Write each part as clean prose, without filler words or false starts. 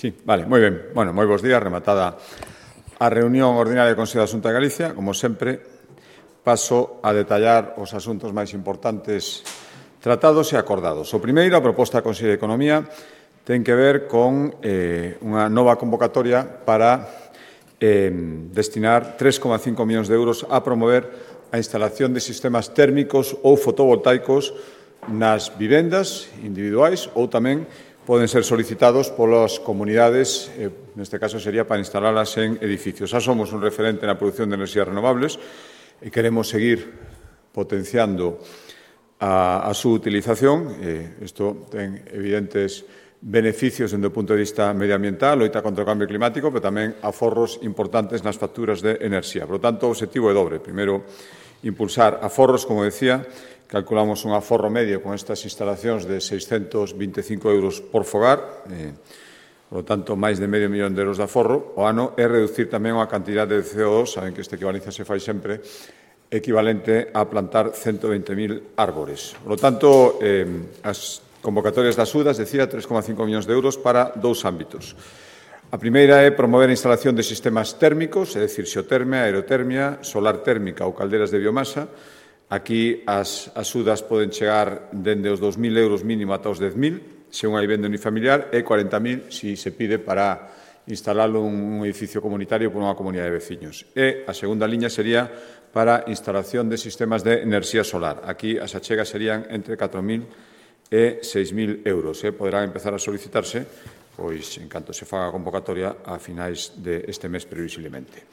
Sí, vale, moi ben. Bueno, moi bons días, rematada a reunión ordinaria do Consello da Xunta de Galicia. Como sempre, paso a detallar os asuntos máis importantes tratados e acordados. O primeiro, a proposta da Consello de Economía, ten que ver con unha nova convocatoria para destinar 3,5 millóns de euros a promover a instalación de sistemas térmicos ou fotovoltaicos nas vivendas individuais ou tamén poden ser solicitados polas comunidades, neste caso sería para instalalas en edificios. Xa somos un referente na produción de enerxías renovables e queremos seguir potenciando a súa utilización. Isto ten evidentes beneficios dende o punto de vista medioambiental, loita contra o cambio climático, pero tamén aforros importantes nas facturas de enerxía. Por lo tanto, o objetivo é dobre. Primeiro, impulsar aforros, como decía. Calculamos un aforro medio con estas instalacións de 625 euros por fogar, por lo tanto, máis de medio millón de euros de aforro. O ano é reducir tamén a cantidade de CO2, saben que esta equivalencia se fai sempre, equivalente a plantar 120.000 árbores. Por lo tanto, as convocatorias das UDAs, decía, 3,5 millóns de euros para dous ámbitos. A primeira é promover a instalación de sistemas térmicos, é dicir, xeotermia, aerotermia, solar térmica ou calderas de biomasa. Aquí as axudas poden chegar dende os 2.000 euros mínimo ata os 10.000, se unha vivenda unifamiliar, e 40.000 se se pide para instalalo un edificio comunitario por unha comunidade de veciños. E a segunda liña sería para instalación de sistemas de enerxía solar. Aquí as achegas serían entre 4.000 e 6.000 euros. Poderán empezar a solicitarse pois en canto se faga a convocatoria a finais deste mes previsiblemente.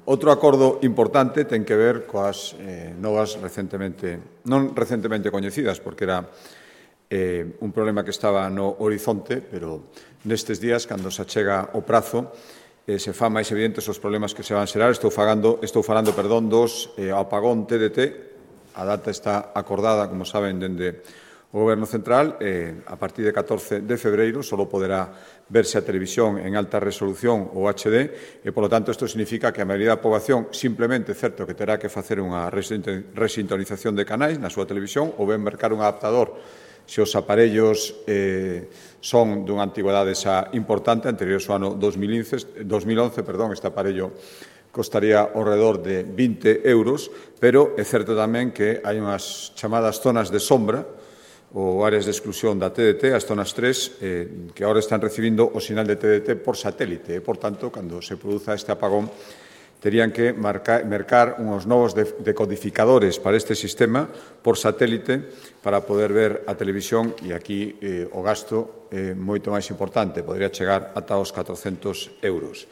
Outro acordo importante ten que ver coas novas non recentemente coñecidas, porque era un problema que estaba no horizonte, pero nestes días, cando se achega o prazo, se fan máis evidentes os problemas que se van xerar. Estou falando dos apagón TDT. A data está acordada, como saben, dende o Goberno Central. A partir de 14 de febreiro só poderá verse a televisión en alta resolución ou HD e, polo tanto, isto significa que a maioría da poboación simplemente, certo, que terá que facer unha resintonización de canais na súa televisión ou ben mercar un adaptador se os aparellos son dunha antigüedade xa importante, anterior ao ano 2011, este aparello costaría ao redor de 20 euros, pero é certo tamén que hai unhas chamadas zonas de sombra ou áreas de exclusión da TDT, as zonas 3, que agora están recibindo o sinal de TDT por satélite. Por tanto, cando se produza este apagón, terían que mercar uns novos decodificadores para este sistema por satélite para poder ver a televisión, e aquí o gasto é moito máis importante, podría chegar ata os 400 euros.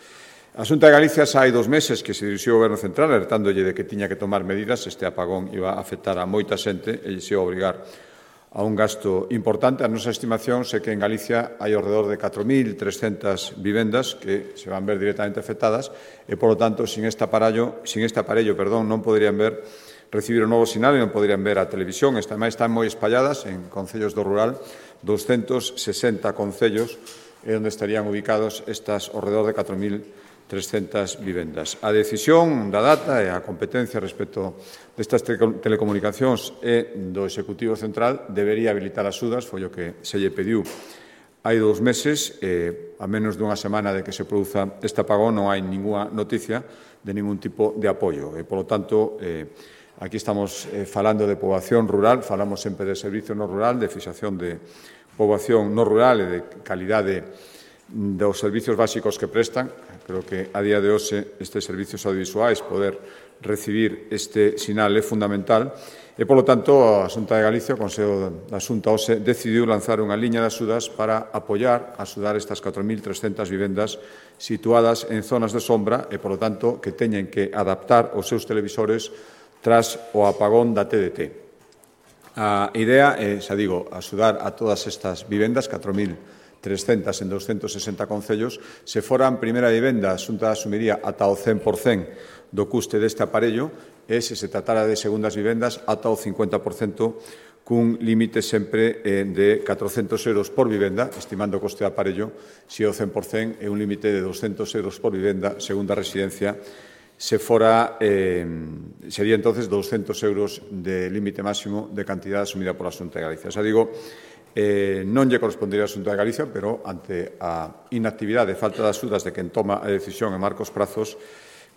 A Xunta de Galicia xa hai 2 meses que se dirixiu ao Goberno Central alertándolle de que tiña que tomar medidas. Este apagón iba a afectar a moita xente e se iba a obrigar a un gasto importante. A nosa estimación é que en Galicia hai ao redor de 4.300 vivendas que se van ver directamente afectadas e, polo tanto, sin este aparello, non poderían recibir o novo sinal e non poderían ver a televisión. Están moi espalladas en concellos do rural, 260 concellos onde estarían ubicados estas ao redor de 4.300 vivendas. A decisión da data e a competencia respecto destas telecomunicacións e do Executivo Central debería habilitar as UDAs, foi o que se lle pediu hai 2 meses. A menos dunha semana de que se produza este apagón non hai ninguna noticia de ningún tipo de apoio. Por lo tanto, aquí estamos falando de poboación rural, falamos sempre de servicio no rural, de fixación de poboación no rural e de calidade dos servicios básicos que prestan. Creo que a día de hoxe estes servicios audiovisuais, poder recibir este sinal é fundamental e, polo tanto, a Xunta de Galicia, o Consello da Xunta hoxe, decidiu lanzar unha liña de axudas para axudar estas 4.300 vivendas situadas en zonas de sombra e, polo tanto, que teñen que adaptar os seus televisores tras o apagón da TDT. A idea é, xa digo, axudar a todas estas vivendas, 4.300 en 260 concellos. Se foran primeira vivenda, a Xunta asumiría ata o 100% do custe deste aparello e, se se tratara de segundas vivendas, ata o 50%, cun límite sempre de 400 euros por vivenda, estimando o coste de aparello. Se o 100% é un límite de 200 euros por vivenda, segunda residencia. Se fora, sería entonces 200 euros de límite máximo de cantidad asumida pola Xunta de Galicia. Xa digo, non lle correspondería a Xunta de Galicia, pero ante a inactividade e falta de axudas de quen toma a decisión en marcos prazos,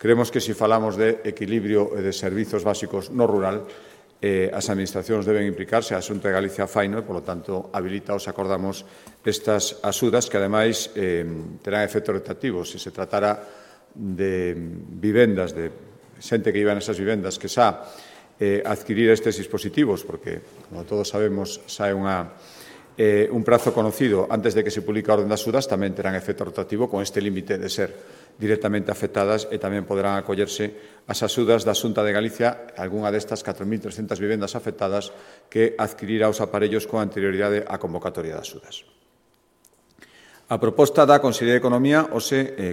creemos que se falamos de equilibrio e de servizos básicos no rural, as administracións deben implicarse, a Xunta de Galicia faino e, polo tanto, habilitaos acordamos estas axudas que, ademais, terán efectos retroactivos. Se tratara de vivendas, de xente que iba nesas vivendas que xa adquirir estes dispositivos, porque, como todos sabemos, xa é un prazo conocido antes de que se publique a orden de axudas, tamén terán efecto retroactivo con este límite de ser directamente afectadas e tamén poderán acollerse as axudas da Xunta de Galicia, algunha destas 4.300 vivendas afectadas que adquirirá os aparellos con anterioridade á convocatoria de axudas. A proposta da Consellería de Economía,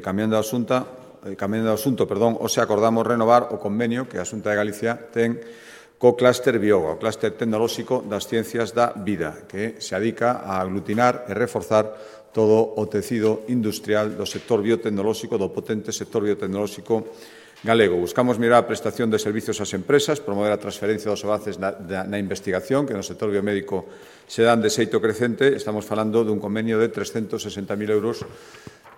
cambiando de asunto, acordamos renovar o convenio que a Xunta de Galicia ten co clúster Bioga, o clúster tecnolóxico das ciencias da vida, que se adica a aglutinar e reforzar todo o tecido industrial do sector biotecnolóxico, do potente sector biotecnolóxico galego. Buscamos mellorar a prestación de servizos ás empresas, promover a transferencia dos avances na investigación, que no sector biomédico se dan de xeito crecente. Estamos falando dun convenio de 360.000 euros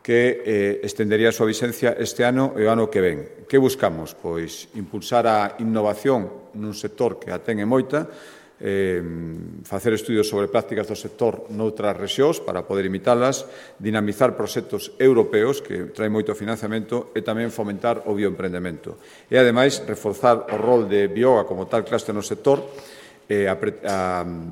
que estendería a súa vixencia este ano e o ano que ven. Que buscamos? Pois impulsar a innovación nun sector que a ten e moita, facer estudios sobre prácticas do sector noutras rexións para poder imitalas, dinamizar proxectos europeos que traen moito financiamento e tamén fomentar o bioemprendemento. E, ademais, reforzar o rol de Bioga como tal clúster no sector. A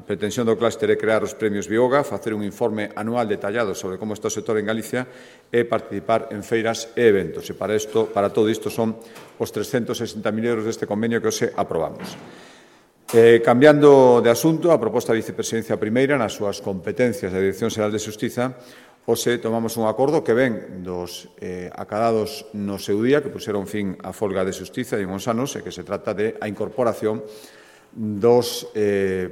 pretensión do clúster é crear os premios Bioga, facer un informe anual detallado sobre como está o sector en Galicia e participar en feiras e eventos. E para todo isto son os 360.000 euros deste convenio que hoxe aprobamos. Cambiando de asunto, a proposta da Vicepresidencia Primeira nas súas competencias da Dirección Xeral de Xustiza, hoxe tomamos un acordo que ven dos acadados no seu día, que puxeron fin á folga de xustiza en uns anos, e que se trata de a incorporación dos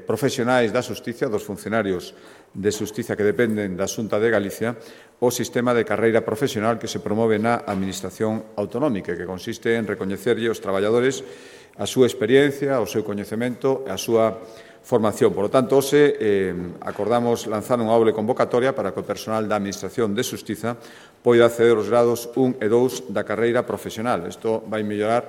profesionais da xustiza, dos funcionarios de xustiza que dependen da Xunta de Galicia, o sistema de carreira profesional que se promove na Administración Autonómica, que consiste en recoñecerlle aos traballadores a súa experiencia, o seu coñecemento e a súa formación. Por lo tanto, hoxe acordamos lanzar unha doble convocatoria para que o personal da Administración de Xustiza poida acceder aos grados 1 e 2 da carreira profesional. Isto vai mellorar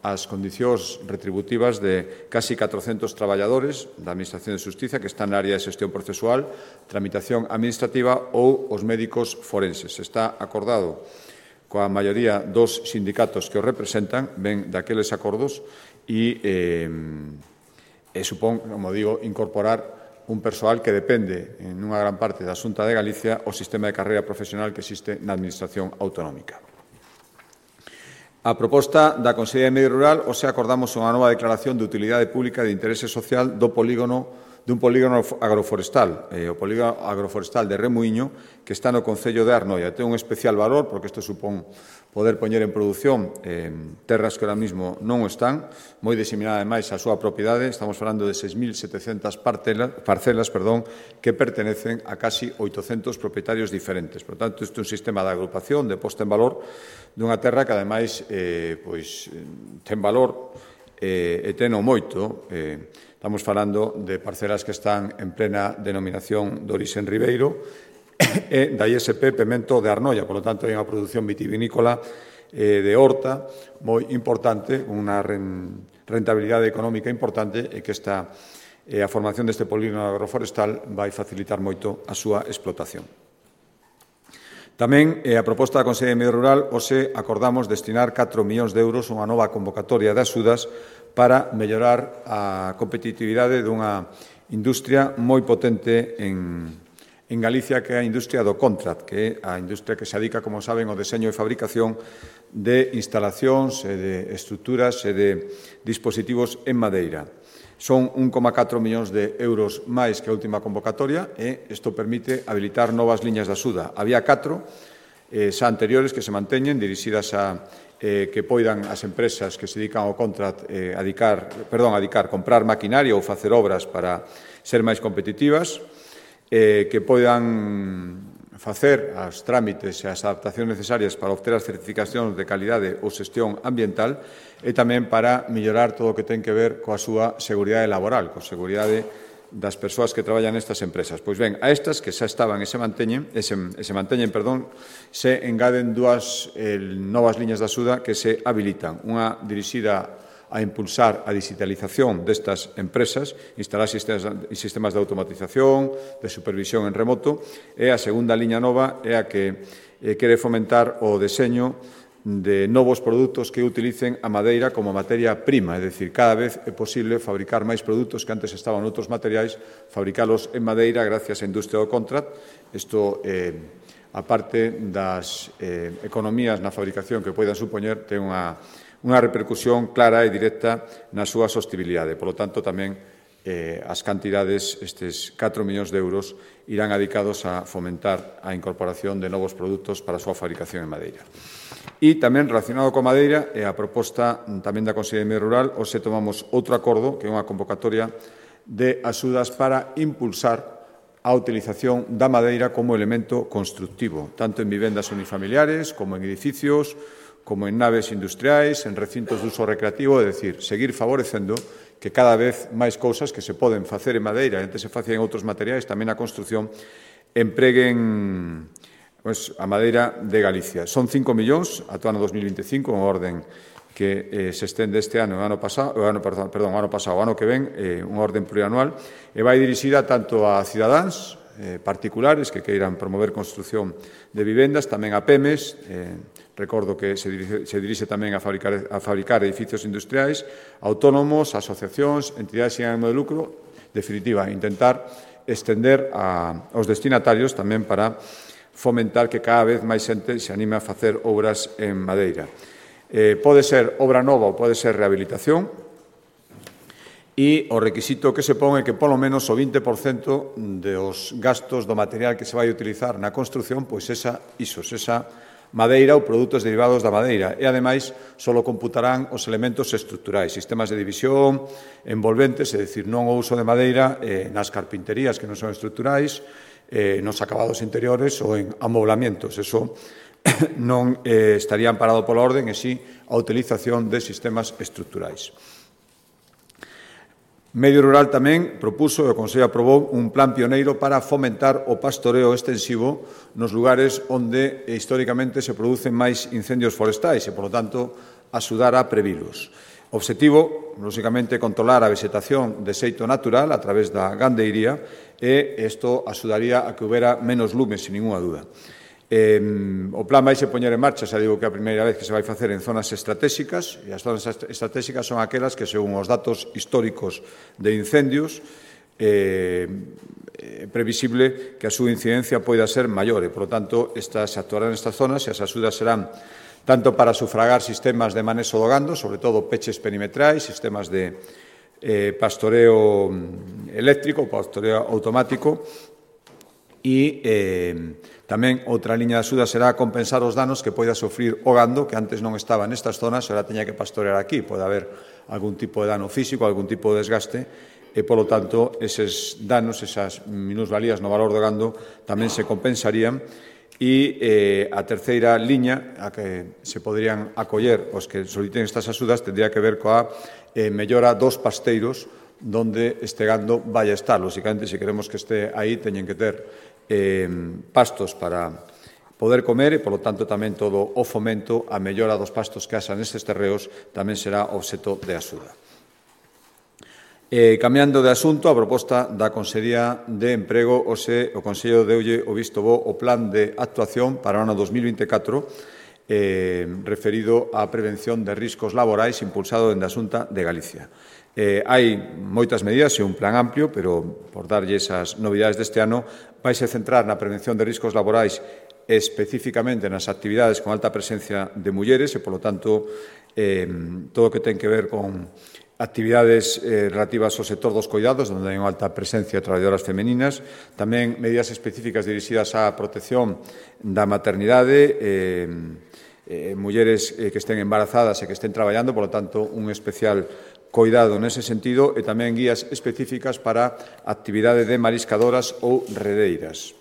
as condicións retributivas de casi 400 traballadores da Administración de Xustiza que están na área de xestión procesual, tramitación administrativa ou os médicos forenses. Está acordado coa maioría dos sindicatos que os representan, ven daqueles acordos e supón, como digo, incorporar un persoal que depende en unha gran parte da Xunta de Galicia o sistema de carreira profesional que existe na Administración Autonómica. A proposta da Consellería de Medio Rural, hoxe acordamos unha nova declaración de utilidade pública de interese social dun polígono agroforestal, o polígono agroforestal de Remuíño, que está no Concello de Arnoia. Ten un especial valor, porque isto supón poder poñer en produción terras que ahora mismo non están, moi diseminada, ademais, a súa propiedade. Estamos falando de 6.700 parcelas que pertenecen a casi 800 propietarios diferentes. Por tanto, isto é un sistema de agrupación, de posta en valor dunha terra que, ademais, ten valor e teno moito. Estamos falando de parcelas que están en plena denominación de orixen ribeiro e da ISP Pemento de Arnoia. Por lo tanto, hai unha produción vitivinícola de horta moi importante, unha rentabilidade económica importante e que a formación deste polígono agroforestal vai facilitar moito a súa explotación. Tamén, a proposta da Consellería de Medio Rural, hoxe acordamos destinar 4 millóns de euros a unha nova convocatoria de axudas para mellorar a competitividade dunha industria moi potente en Galicia, que é a industria do contract, que é a industria que se dedica, como saben, ao deseño e fabricación de instalacións e de estruturas e de dispositivos en madeira. Son 1,4 millóns de euros máis que a última convocatoria e isto permite habilitar novas liñas de axuda. Había 4 xa anteriores que se manteñen, dirixidas a que poidan as empresas que se dedican ao contract comprar maquinaria ou facer obras para ser máis competitivas, que poidan facer as trámites e as adaptacións necesarias para obter as certificacións de calidade ou xestión ambiental e tamén para mellorar todo o que ten que ver coa súa seguridade laboral, coa seguridade das persoas que traballan nestas empresas. Pois ben, a estas que xa estaban e se manteñen, se engaden dúas novas liñas de axuda que se habilitan. Unha dirixida a impulsar a digitalización destas empresas, instalar sistemas de automatización, de supervisión en remoto, e a segunda liña nova é a que quere fomentar o deseño de novos produtos que utilicen a madeira como materia prima, é dicir, cada vez é posible fabricar máis produtos que antes estaban en outros materiais, fabricalos en madeira gracias á industria do contract. Isto, a parte das economías na fabricación que poidan supoñer, ten unha repercusión clara e directa na súa sostibilidade. Por lo tanto, tamén as cantidades, estes 4 millóns de euros, irán dedicados a fomentar a incorporación de novos produtos para a súa fabricación en madeira. E tamén relacionado coa madeira e a proposta tamén da Consellería de Medio Rural, hoxe tomamos outro acordo, que é unha convocatoria de axudas para impulsar a utilización da madeira como elemento constructivo, tanto en vivendas unifamiliares como en edificios, como en naves industriais, en recintos de uso recreativo, é dicir, seguir favorecendo que cada vez máis cousas que se poden facer en madeira e antes se facían en outros materiais, tamén a construcción, empreguen a madeira de Galicia. Son 5 millóns ata o ano 2025, unha orden que se estende este ano, o ano que ven, unha orden plurianual, e vai dirixida tanto a cidadáns particulares que queiran promover construcción de vivendas, tamén a PEMES, recordo que se dirixe tamén a fabricar edificios industriais, autónomos, asociacións, entidades sin ánimo de lucro, definitiva, intentar estender aos destinatarios tamén para fomentar que cada vez máis xente se anime a facer obras en madeira. Pode ser obra nova ou pode ser rehabilitación, e o requisito que se pon é que polo menos o 20% dos gastos do material que se vai utilizar na construción, pois esa madeira ou produtos derivados da madeira. E, ademais, só computarán os elementos estruturais, sistemas de división, envolventes, é dicir, non o uso de madeira nas carpinterías que non son estruturais, nos acabados interiores ou en amoblamientos. Eso non estaría amparado pola orden, e si a utilización de sistemas estruturais. Medio Rural tamén propuso e o Consello aprobou un plan pioneiro para fomentar o pastoreo extensivo nos lugares onde históricamente se producen máis incendios forestais e, polo tanto, axudar a previlos. O obxectivo, lóxicamente, controlar a vegetación de xeito natural a través da gandeiría e isto axudaría a que houbera menos lumes, sin ninguna dúda. O plan vai se poñer en marcha, xa digo que é a primeira vez que se vai facer en zonas estratégicas, e as zonas estratégicas son aquelas que, según os datos históricos de incendios, é previsible que a súa incidencia poida ser maior e, por lo tanto, se actuarán nestas zonas e as axudas serán tanto para sufragar sistemas de manexo do gando, sobre todo peches perimetrais, sistemas de pastoreo eléctrico, pastoreo automático, e tamén outra liña de axuda será compensar os danos que poida sofrir o gando, que antes non estaba nestas zonas, ahora teña que pastorear aquí. Pode haber algún tipo de dano físico, algún tipo de desgaste, e, polo tanto, eses danos, esas minusvalías no valor do gando, tamén se compensarían. E a terceira liña a que se poderían acoller os que soliciten estas axudas tendría que ver coa mellora dos pasteiros donde este gando vai a estar. Lóxicamente, se queremos que este aí, teñen que ter pastos para poder comer e, polo tanto, tamén todo o fomento, a mellora dos pastos que haxan nestes terreos tamén será obxecto de axuda. Cambiando de asunto, a proposta da Consellería de Emprego, o Consello deulle o visto bo o plan de actuación para o ano 2024 referido á prevención de riscos laborais impulsado dende a Xunta de Galicia. Hai moitas medidas e un plan amplio, pero por darlle esas novidades deste ano, vaise centrar na prevención de riscos laborais especificamente nas actividades con alta presencia de mulleres e, polo tanto, todo o que ten que ver con actividades relativas ao sector dos coidados, onde hai unha alta presencia de traballadoras femeninas, tamén medidas específicas dirixidas á protección da maternidade, mulleres que estén embarazadas e que estén traballando, polo tanto, un especial coidado nese sentido, e tamén guías específicas para actividade de mariscadoras ou redeiras.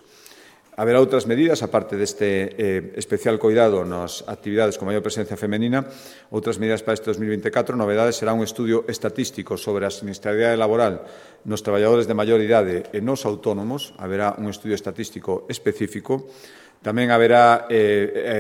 Haberá outras medidas, aparte deste especial coidado nas actividades con maior presencia femenina, outras medidas para este 2024. Novedades será un estudio estatístico sobre a sinistralidade laboral nos traballadores de maior idade e nos autónomos. Haberá un estudio estatístico específico. Tamén haberá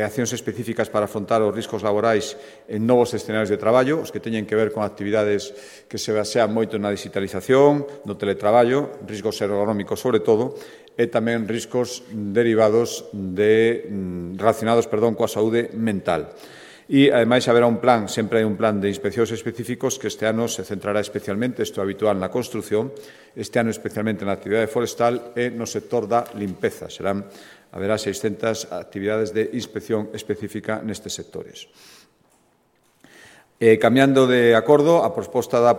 accións específicas para afrontar os riscos laborais en novos escenarios de traballo, os que teñen que ver con actividades que se basean moito na digitalización, no teletraballo, riscos ergonómicos sobre todo, e tamén riscos derivados relacionados coa saúde mental. E, ademais, haberá un plan, sempre hai un plan de inspeccións específicos que este ano se centrará especialmente, isto é habitual na construción, este ano especialmente na actividade forestal e no sector da limpeza. Haberá 600 actividades de inspección específica nestes sectores. Cambiando de acordo, a proposta da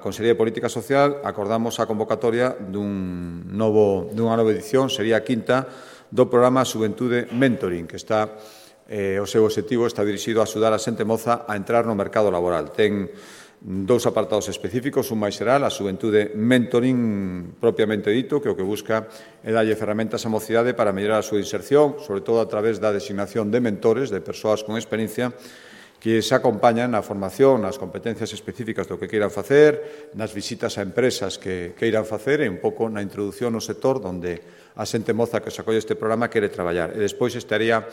Consellería de Política Social, acordamos a convocatoria dunha nova edición, sería a quinta, do programa Xuventude Mentoring, que o seu obxectivo está dirixido a axudar a xente moza a entrar no mercado laboral. Ten dous apartados específicos, un máis xeral, a Xuventude Mentoring propiamente dito, que o que busca é darlle ferramentas á mocidade para mellorar a súa inserción, sobre todo a través da designación de mentores, de persoas con experiencia, que se acompañan na formación, nas competencias específicas do que queiran facer, nas visitas a empresas que queiran facer e un pouco na introducción no sector onde a xente moza que se acolle este programa quere traballar. E despois estaría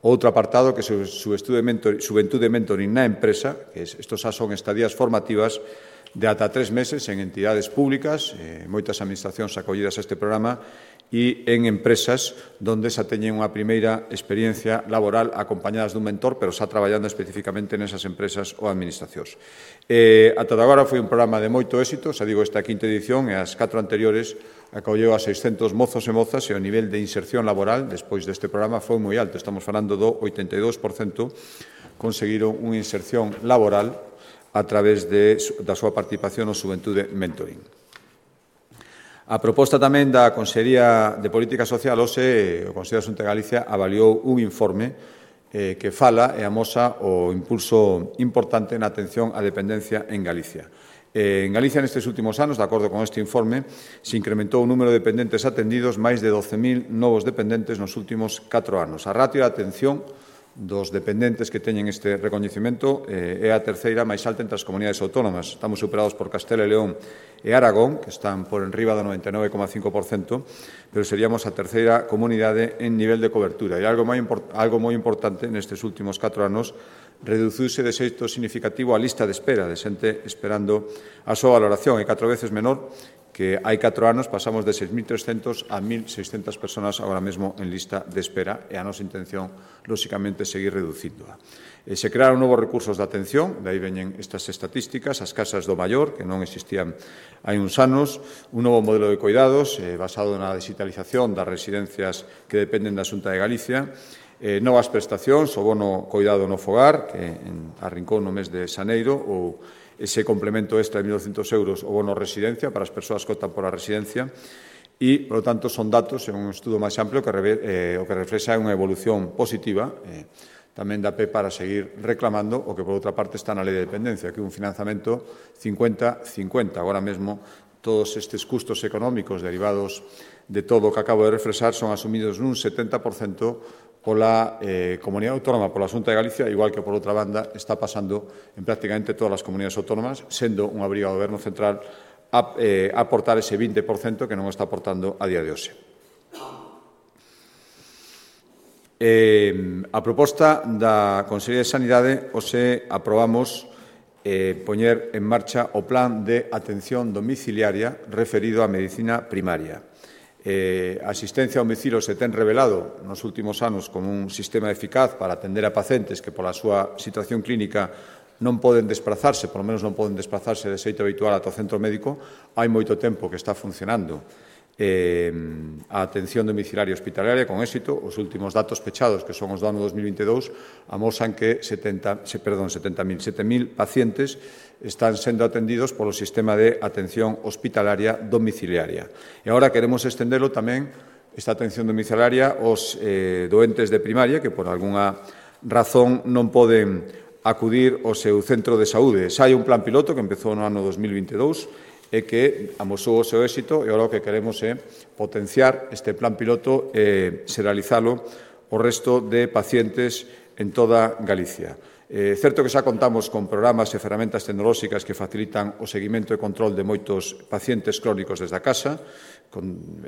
outro apartado que é Xuventude Mentoring na empresa, que estos xa son estadías formativas de ata 3 meses en entidades públicas, moitas administracións acollidas a este programa, e en empresas onde xa teñen unha primeira experiencia laboral acompañadas dun mentor, pero xa traballando especificamente nesas empresas ou administracións. Ata agora foi un programa de moito éxito, xa digo, esta quinta edición e as 4 anteriores acolleu a 600 mozos e mozas e o nivel de inserción laboral despois deste programa foi moi alto. Estamos falando do 82% conseguiron unha inserción laboral a través da súa participación no Xuventude Mentoring. A proposta tamén da Consellería de Política Social, hoxe, o Consello da Xunta de Galicia avaliou un informe que fala e amosa o impulso importante na atención á dependencia en Galicia. En Galicia, nestes últimos anos, de acordo con este informe, se incrementou o número de dependentes atendidos, máis de 12.000 novos dependentes nos últimos 4 anos. A ratio de atención dos dependentes que teñen este recoñecemento é a terceira máis alta entre as comunidades autónomas. Estamos superados por Castela e León e Aragón, que están por enriba do 99,5%, pero seríamos a terceira comunidade en nivel de cobertura. E algo moi importante nestes últimos 4 anos, reduciuse de xeito significativo a lista de espera de xente esperando a súa valoración, é 4 veces menor que hai 4 anos. Pasamos de 6.300 a 1.600 personas agora mesmo en lista de espera e a nosa intención, lóxicamente, é seguir reducíndoa. Se crearon novos recursos de atención, de aí veñen estas estatísticas, as casas do maior, que non existían hai uns anos, un novo modelo de coidados basado na digitalización das residencias que dependen da Xunta de Galicia, novas prestacións, o bono coidado no fogar, que arrincou no mes de xaneiro, ou ese complemento extra de 1.200 euros o bono residencia para as persoas que optan por a residencia e, por lo tanto, son datos en un estudo máis amplio que o que reflexa unha evolución positiva. Tamén dá pé para seguir reclamando o que, por outra parte, está na Lei de Dependencia, que é un financiamento 50-50. Agora mesmo, todos estes custos económicos derivados de todo o que acabo de reflexar son asumidos nun 70% pola Comunidade Autónoma, pola Xunta de Galicia, igual que, por outra banda, está pasando en prácticamente todas as comunidades autónomas, sendo unha obriga do Goberno central a aportar ese 20% que non está aportando a día de hoxe. A proposta da Consellería de Sanidade, hoxe aprobamos poñer en marcha o plan de atención domiciliaria referido á medicina primaria. A asistencia ao domicilio se ten revelado nos últimos anos como un sistema eficaz para atender a pacientes que, pola súa situación clínica, non poden desplazarse, polo menos non poden desplazarse de xeito habitual ata o centro médico. Hai moito tempo que está funcionando a atención domiciliaria hospitalaria con éxito. Os últimos datos pechados, que son os do ano 2022, amosan que 7.000 pacientes están sendo atendidos polo sistema de atención hospitalaria domiciliaria. E agora queremos estendelo tamén, esta atención domiciliaria, aos doentes de primaria que por algunha razón non poden acudir ao seu centro de saúde. Xa hai un plan piloto que empezou no ano 2022 e que amosou o seu éxito, e agora o que queremos é potenciar este plan piloto e serializalo o resto de pacientes en toda Galicia. É certo que xa contamos con programas e ferramentas tecnolóxicas que facilitan o seguimento e control de moitos pacientes crónicos desde a casa.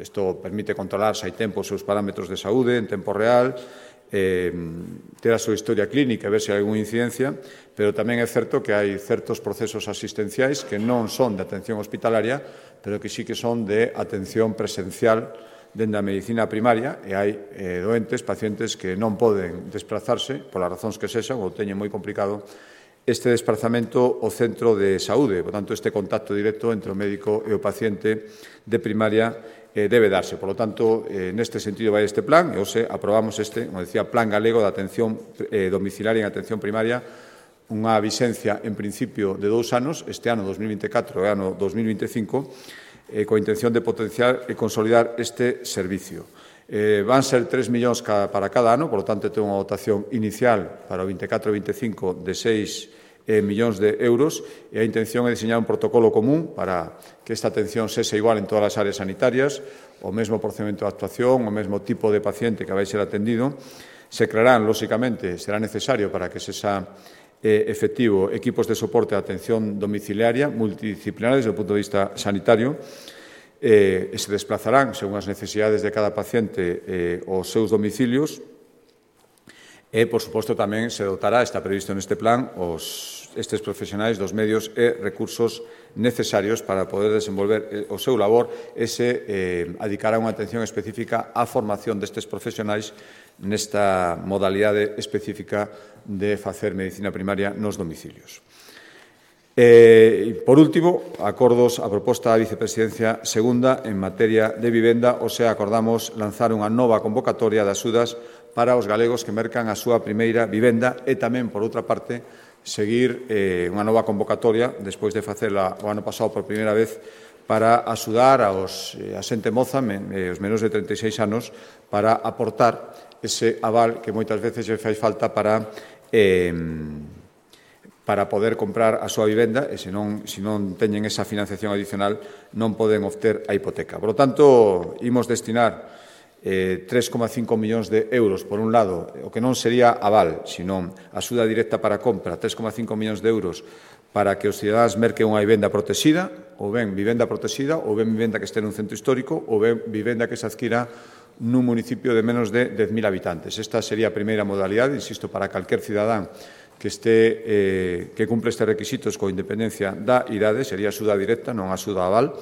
Isto permite controlar se hai tempo os seus parámetros de saúde en tempo real, ter a súa historia clínica e ver se hai algunha incidencia, pero tamén é certo que hai certos procesos asistenciais que non son de atención hospitalaria, pero que sí que son de atención presencial dende a medicina primaria, e hai doentes, pacientes que non poden desplazarse, polas razóns que sexan, ou teñen moi complicado este desplazamento ao centro de saúde. Por tanto, este contacto directo entre o médico e o paciente de primaria debe darse. Por lo tanto, neste sentido vai este plan, e hoxe aprobamos este, como decía, Plan Galego de Atención Domiciliaria en Atención Primaria, unha vixencia en principio de 2 anos, este ano 2024 e ano 2025, coa intención de potenciar e consolidar este servicio. Van ser 3 millóns para cada ano, por lo tanto, ten unha dotación inicial para o 24 e 25 de 6 millóns de euros, e a intención é diseñar un protocolo común para que esta atención sexa igual en todas as áreas sanitarias, o mesmo procedimento de actuación, o mesmo tipo de paciente que vai ser atendido. Se crearán, lóxicamente, será necesario para que sexa efectivo equipos de soporte de atención domiciliaria multidisciplinares desde o punto de vista sanitario, e se desplazarán, según as necesidades de cada paciente, aos seus domicilios, e, por suposto, tamén se dotará, está previsto neste plan, estes profesionais dos medios e recursos necesarios para poder desenvolver o seu labor e se adicará unha atención específica á formación destes profesionais nesta modalidade específica de facer medicina primaria nos domicilios. Por último, acordos a proposta da Vicepresidencia segunda en materia de vivenda, o sea, acordamos lanzar unha nova convocatoria de axudas para os galegos que mercan a súa primeira vivenda e tamén, por outra parte, seguir unha nova convocatoria, despois de facela o ano pasado por primeira vez, para axudar a xente moza, os menos de 36 anos, para aportar ese aval que moitas veces lle fai falta para poder comprar a súa vivenda, e se non teñen esa financiación adicional non poden obter a hipoteca. Por lo tanto, imos destinar 3,5 millóns de euros, por un lado, o que non sería aval, sino axuda directa para compra, 3,5 millóns de euros para que os cidadáns merquen unha vivenda protexida, ou ben vivenda protexida, ou ben vivenda que este nun centro histórico, ou ben vivenda que se adquira nun municipio de menos de 10.000 habitantes. Esta sería a primeira modalidade, insisto, para calquer cidadán que cumpre estes requisitos coa independencia da idade, sería axuda directa, non axuda aval.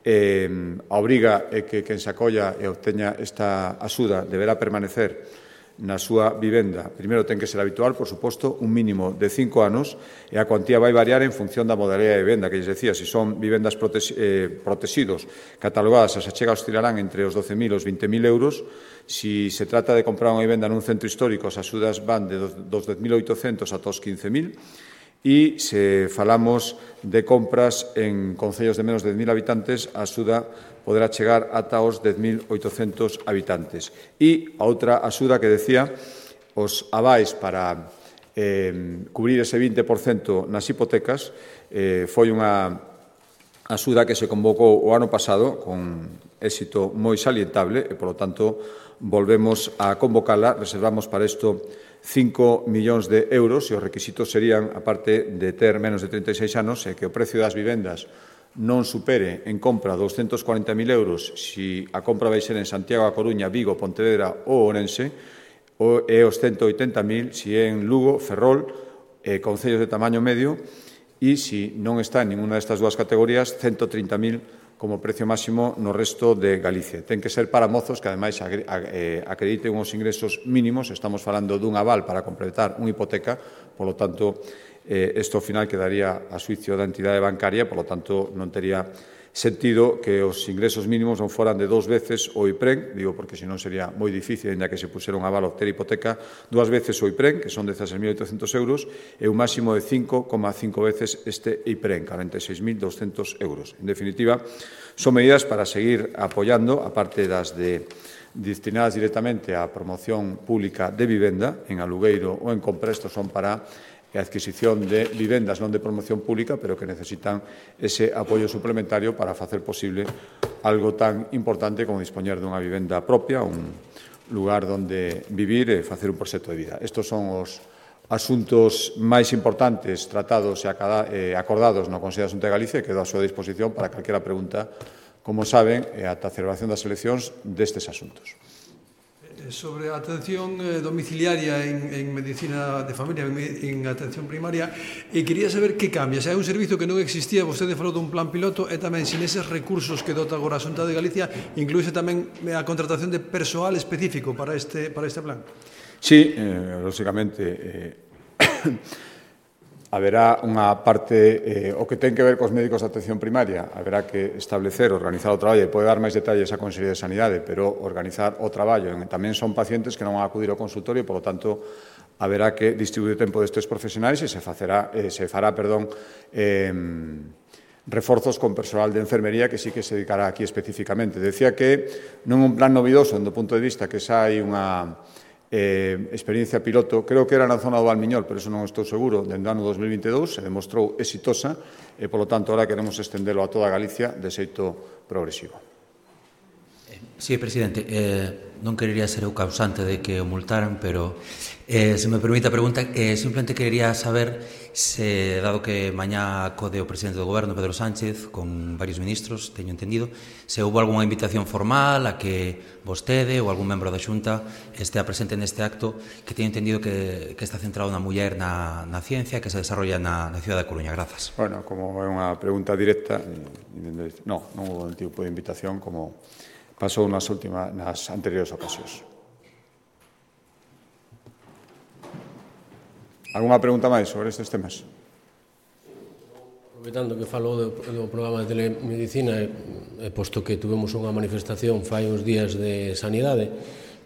A obriga é que quen se acolla e obteña esta axuda deberá permanecer na súa vivenda. Primeiro ten que ser habitual, por suposto, un mínimo de 5 anos, e a cuantía vai variar en función da modalidade de vivenda, que lles decía, se son vivendas protegidos, catalogadas, as achegas oscilarán entre os 12.000 e os 20.000 euros. Si se trata de comprar unha vivenda nun centro histórico, as axudas van dos 10.800 ata os 15.000, e se falamos de compras en concellos de menos de 10.000 habitantes, a axuda poderá chegar ata os 10.800 habitantes. E a outra axuda que decía, os avais para cubrir ese 20% nas hipotecas, foi unha axuda que se convocou o ano pasado con éxito moi salientable e, polo tanto, volvemos a convocala. Reservamos para isto 5 millóns de euros, e os requisitos serían, aparte de ter menos de 36 anos, que o precio das vivendas non supere en compra 240.000 euros si a compra vai ser en Santiago, A Coruña, Vigo, Pontevedra ou Ourense, e os 180.000 si é en Lugo, Ferrol, concellos de tamaño medio, e si non está en ninguna destas dúas categorías, 130.000 como precio máximo no resto de Galicia. Ten que ser para mozos que, ademais, acrediten uns ingresos mínimos. Estamos falando dun aval para completar unha hipoteca, polo tanto, isto ao final quedaría a xuicio da entidade bancaria, polo tanto, non tería sentido que os ingresos mínimos non foran de 2 veces o IPREN, digo porque senón sería moi difícil, ainda que se pusera un aval a obter hipoteca, 2 veces o IPREN, que son 16.800 euros, e un máximo de 5,5 veces este IPREN, 46.200 euros. En definitiva, son medidas para seguir apoiando, aparte das destinadas directamente á promoción pública de vivenda, en alugueiro ou en compra. Estos son para e a adquisición de vivendas non de promoción pública, pero que necesitan ese apoio suplementario para facer posible algo tan importante como dispoñer dunha vivenda propia, un lugar onde vivir e facer un proxecto de vida. Estos son os asuntos máis importantes tratados e acordados no Consello de Xunta de Galicia, e quedo á súa disposición para calquera pregunta, como saben, ata a celebración das eleccións destes asuntos. Sobre a atención domiciliaria en medicina de familia, en atención primaria, quería saber que cambia. Se hai un servizo que non existía, vostede falou dun plan piloto, e tamén sin eses recursos que dota agora a Xunta de Galicia, incluíse tamén a contratación de persoal específico para este plan. Sí, lógicamente, haberá unha parte, o que ten que ver cos médicos de atención primaria, haberá que establecer, organizar o traballo, e pode dar máis detalles a Consellería de Sanidade, pero organizar o traballo. Tamén son pacientes que non van a acudir ao consultorio, e, polo tanto, haberá que distribuir o tempo destes profesionais e se fará reforzos con personal de enfermería que sí que se dedicará aquí especificamente. Decía que non un plan novidoso, do punto de vista que xa hai unha experiencia piloto, creo que era na zona do Valmiñor, pero eso non estou seguro, dende o ano 2022, se demostrou exitosa e, polo tanto, ahora queremos estendelo a toda Galicia de xeito progresivo. Sí, presidente, non querería ser o causante de que o multaran, pero se me permite a pregunta, simplemente querería saber se, dado que mañá acode o presidente do Goberno, Pedro Sánchez, con varios ministros, teño entendido, se houve algunha invitación formal a que vostede ou algún membro da Xunta estea presente neste acto, que teño entendido que está centrado na muller na ciencia, que se desarrolla na cidade da Coruña. Grazas. Bueno, como é unha pregunta directa, non houve un tipo de invitación como pasou nas anteriores ocasións. Alguna pregunta máis sobre estes temas? Aproveitando que falou do programa de telemedicina, posto que tuvemos unha manifestación fai uns días de sanidade,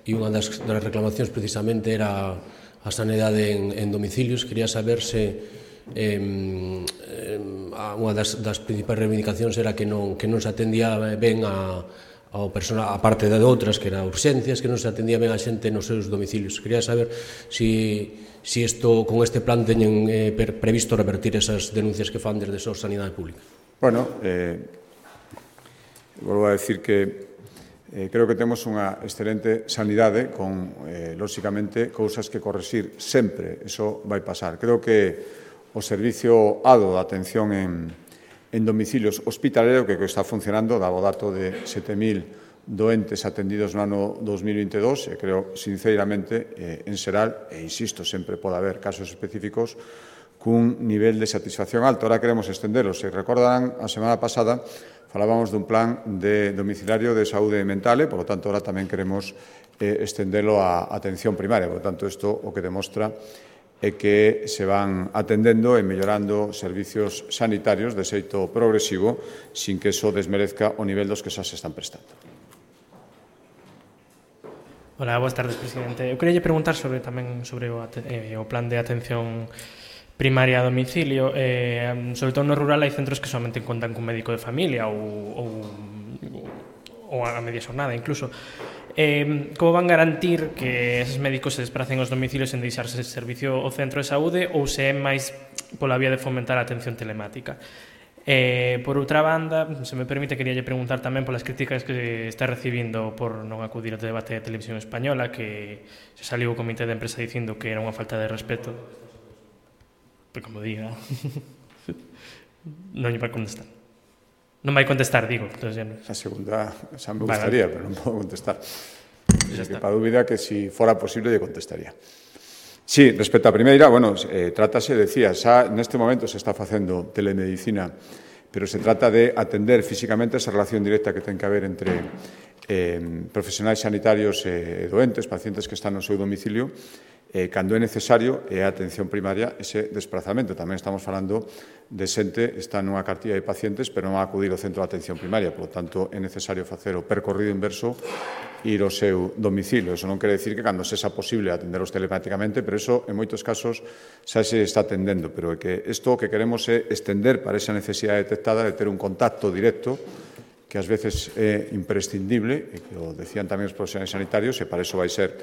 e unha das reclamacións precisamente era a sanidade en domicilios, quería saber se unha das principais reivindicacións era que non se atendía ben ao personal, a parte de outras, que era urxencias, que non se atendía ben a xente nos seus domicilios. Quería saber se con este plan teñen previsto revertir esas denuncias que fan desde a sanidade pública. Bueno, volvo a decir que creo que temos unha excelente sanidade con, lóxicamente, cousas que correxir sempre. Eso vai pasar. Creo que o servicio ADO de atención en domicilios hospitalero, que está funcionando, daba o dato de 7.000 doentes atendidos no ano 2022, e creo, sinceramente, en xeral, e insisto, sempre pode haber casos específicos, cun nivel de satisfacción alto. Ahora queremos estendelo. Se recordarán, a semana pasada falábamos dun plan de domiciliario de saúde mental, e, por lo tanto, ahora tamén queremos estendelo a atención primaria. Por lo tanto, isto o que demostra é que se van atendendo e mellorando servicios sanitarios de xeito progresivo sin que eso desmerezca o nivel dos que xa se están prestando. Hola, boas tardes, presidente. Eu queria preguntar sobre o plan de atención primaria a domicilio. Sobre todo no rural hai centros que somente contan cun médico de familia ou a media xornada incluso. Como van garantir que esos médicos se despracen aos domicilios en deixarse servicio ao centro de saúde, ou se é máis pola vía de fomentar a atención telemática? Por outra banda, se me permite, quería preguntar tamén polas críticas que está recibindo por non acudir ao debate de Televisión Española, que se saliu o comité de empresa dicindo que era unha falta de respeto. Pois como diga, non lle vai contestar. Non vai contestar, digo. A segunda xa me gustaría, pero non podo contestar. Para dúbida que si fora posible lle contestaría. Sí, respecto á primeira, bueno, trátase, decía, xa neste momento se está facendo telemedicina, pero se trata de atender físicamente esa relación directa que ten que haber entre profesionais sanitarios e doentes, pacientes que están no seu domicilio, cando é necesario, é a atención primaria ese desplazamento. Tamén estamos falando de xente que está nunha cartilla de pacientes, pero non va a acudir ao centro de atención primaria. Por lo tanto, é necesario facer o percorrido inverso, ir ao seu domicilio. Eso non quere decir que cando sexa posible atenderos telemáticamente, pero eso, en moitos casos, xa se está atendendo. Pero é que isto que queremos é estender para esa necesidade detectada de ter un contacto directo, que ás veces é imprescindible, e que o decían tamén os profesionais sanitarios, e para iso vai ser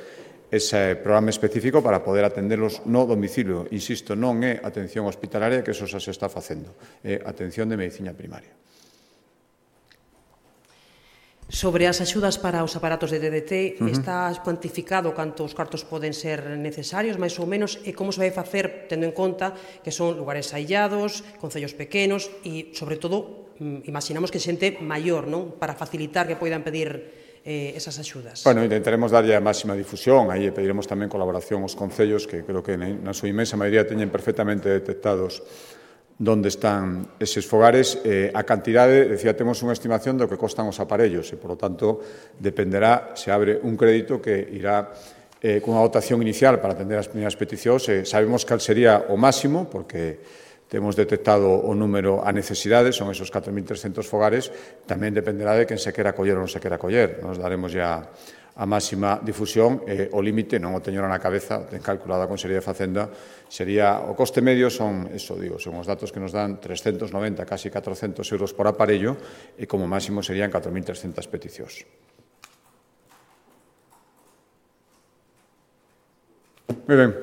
ese programa específico para poder atenderlos no domicilio. Insisto, non é atención hospitalaria, que eso xa se está facendo, é atención de medicina primaria. Sobre as axudas para os aparatos de DDT, está cuantificado cantos cartos poden ser necesarios, máis ou menos, e como se vai facer, tendo en conta que son lugares aillados, concellos pequenos e, sobre todo, imaginamos que xente maior, non? Para facilitar que poidan pedir esas axudas. Bueno, intentaremos darlle a máxima difusión, aí pediremos tamén colaboración aos concellos, que creo que na súa inmensa maioría teñen perfectamente detectados onde están eses fogares. A cantidade, decía, temos unha estimación do que costan os aparellos e, por lo tanto, dependerá se abre un crédito que irá cunha dotación inicial para atender as primeiras peticións. Sabemos cal sería o máximo, porque temos detectado o número a necesidade, son esos 4.300 fogares, tamén dependerá de quen se quera coller ou non se quera coller. Nos daremos ya a máxima difusión, o límite, non o teño na cabeza, ten calculado a Consellería de Facenda, sería, o coste medio son, eso digo, son os datos que nos dan 390, casi 400 euros por aparello, e como máximo serían 4.300 peticións. Moi ben.